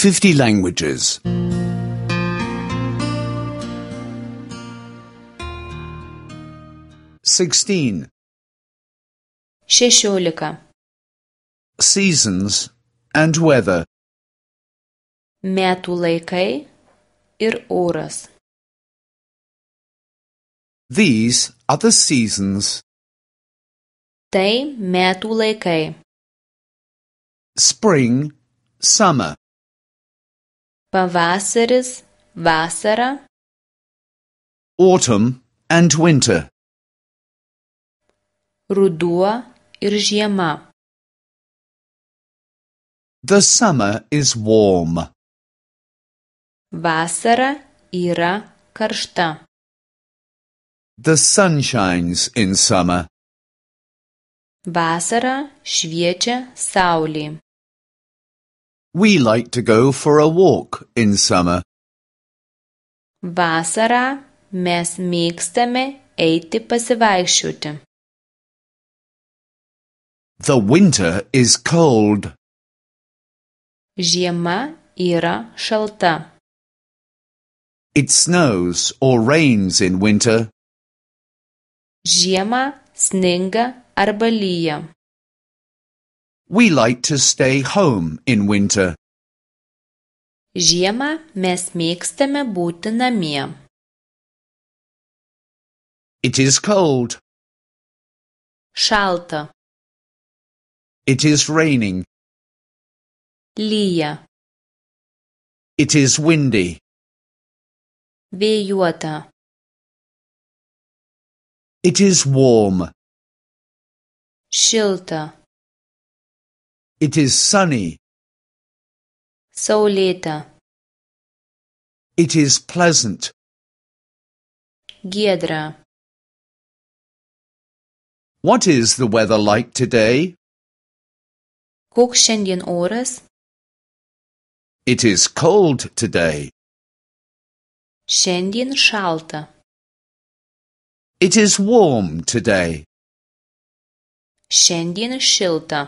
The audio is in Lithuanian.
50 languages. 16. 16. Seasons and weather. Metų laikai ir oras. These are the seasons: Tai metų laikai. spring, summer, Pavasaris, vasara, autumn and winter. ruduo ir žiema. The summer is warm. Vasara yra karšta. The sun shines in summer. Vasarą šviečia saulė. We like to go for a walk in summer. Vasarą mes mėgstame eiti pasivaikščioti. The winter is cold. Žiema yra šalta. It snows or rains in winter. Žiemą sninga arba lyja. We like to stay home in winter. Žiemą mes mėgstame būti namie. It is cold. Šalta. It is raining. Lyja. It is windy. Vėjuota. It is warm. Šilta. It is sunny. Saulėta. It is pleasant. Giedra. What is the weather like today? Koks šiandien oras? It is cold today. Šiandien šalta. It is warm today. Šiandien šilta.